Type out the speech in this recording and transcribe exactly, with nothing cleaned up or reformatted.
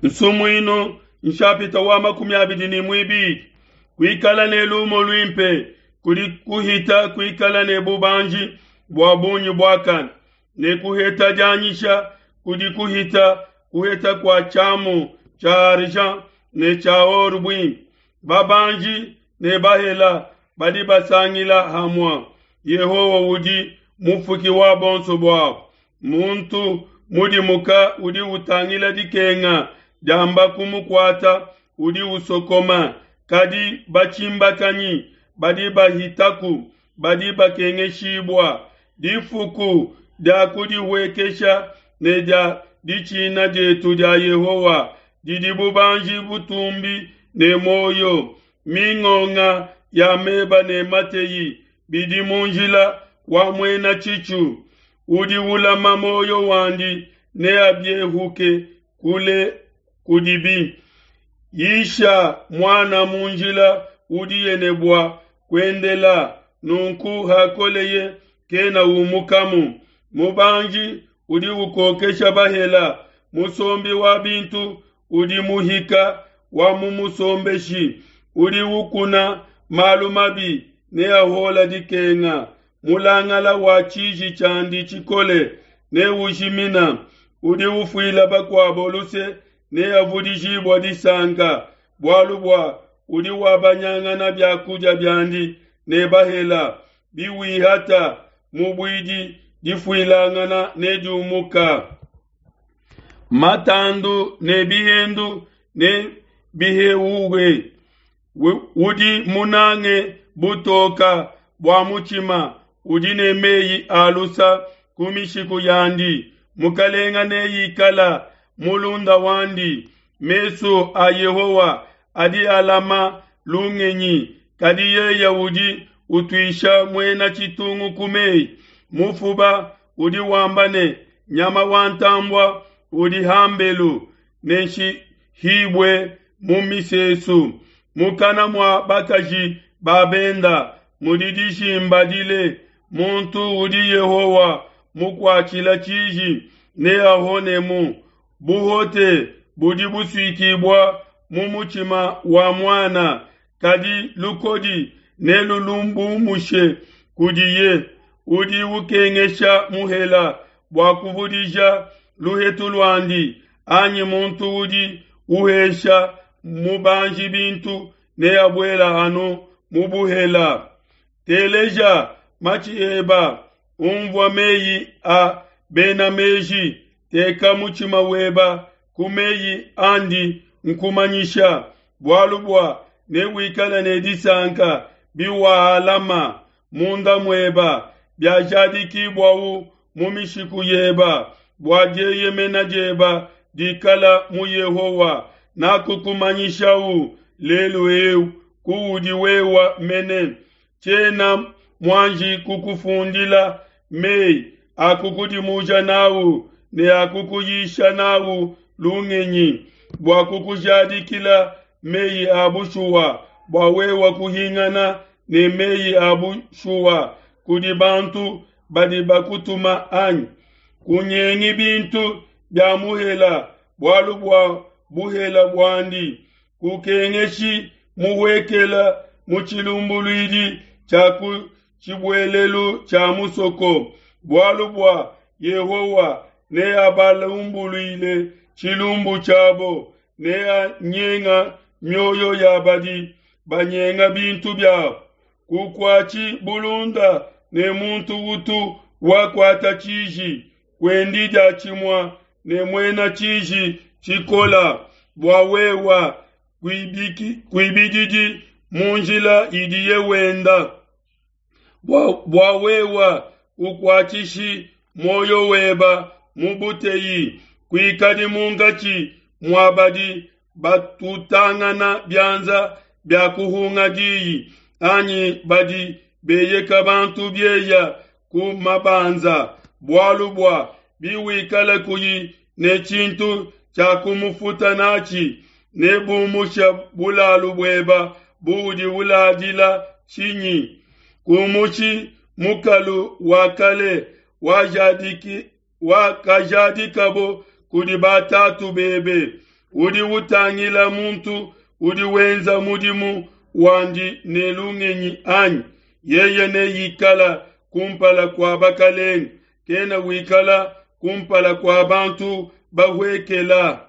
Nsumuinu nshapita wa makumi abidi ne muibidi. Kuikala ne lumu luimpe kudi kuhita kuikala ne bubanji bua bungi buakane, ne kuheta dianyisha kudi kuhita kuheta kua tshiamu tshia argent ne tshia or buimpe. Babanji ne bahela badi basangila hamue. Yehowa udi mufuki wa bonso buabo. Muntu mudimuka udi utangila dikenga diamba kumukuata udi usokoma, kadi batshimbakanyi badi bahitaku badi bakengeshibua. Difuku dia kudihuekesha ne dia ditshina dietu dia Yehowa didi bubanji butumbi ne muoyo. Mingonga ya meba ne mateyi bidi mu njila wa muena tshitshu. Udi ulama muoyo wandi neabiehuke kule kudibi. Yisha muana mu njila udiye ne bua kuendela, nunku hakoleye kena umukamu. Mubanji udi ukokesha bahela, musombi wa bintu udi muhika wa mumusombeshi. Udi ukuna malu mabi neahuole dikenga. Mulangala wa tshiji tshiandi tshikole neujimina. Udi ufuila bakuabo luse neavudijibue disanka, bualu bua udi wabanyangana bia kudia biandi ne bahela. Biwihata mubuidi, difuilangana nediumuka. Matandu ne bihendu ne biheuwe. Udi munange butoka bua mutshima udi ne meyi a lusa ku mishiku yandi. Mukalenga neikala mulunda wandi. Mesu a Yehowa adi alama lungenyi, kadi yeye udi utuisha muena tshitungu ku meyi. Mufuba udi wamba ne, nyama wa ntambua udi hambelu nenshihibue mu misesu. Mukana mua bakaji ba benda mudi dijimba dile. Muntu udi Yehowa mukuatshila tshiji neahonemu. Buhote budi busuikibua mu mutshima wa muana, kadi lukodi nelulumbumushe kudiye. Udi ukengesha muhela bua kuvudija luhetu luandi, anyi muntu udi uhesha mubanji bintu neabuela anu mu buhela. Teleja matshi eba, unvua meyi a bena meji, teka mutshima weba ku meyi andi nkumanyisha, bualu bua newikale ne disanka biwaalama munda mueba, biajadikibuawu mu mishiku yeba, bua dieyemena dieba dikala mu Yehowa. Nakukumanyishau lelu eu kuudi wewa mene. Tshiena muanji kukufundila meyi akukudimuja nawu ne akukuyisha nawu lungenyi, bua kukujadikila meyi a bushuwa, bua wewa kuhingana ne meyi a bushuwa kudi bantu badi bakutuma anyi? Kunyengi bintu bia muhela, bualu bua buhela buandi. Kukengeshi muhuekela mu tshilumbuluidi tshia ku tshibuelelu tshia musoko, bualu bua Yehowa neabalumbuluile tshilumbu tshiabo, neanyenga mioyo ya badi banyenga bintu biabo. Kukuatshi bulunda ne muntu utu wakuata tshiji, kuendi diatshimue ne muena tshiji tshikola, bua wewa kuibididi mu njila idiye wenda, bua, bua wewa kukuatshishi muoyo weba mu buteyi, kuikadi munkatshi mua badi batutangana bianza bia kuhunga diyi, anyi badi beyeka bantu bieya ku mabanza, bualu bua biwikala kuyi ne tshintu tshia kumufuta natshi, nebumusha bulalu bueba buudi uladila tshinyi? Kumushi mukalu wa kale wajadiki wakajadikabo kudi batatu bebe. Udi utangila muntu udi wenza mudimu wandi ne lungenyi anyi? Yeye neikala kumpala kua bakelenge, kena wikala kumpala kua bantu bahuekela.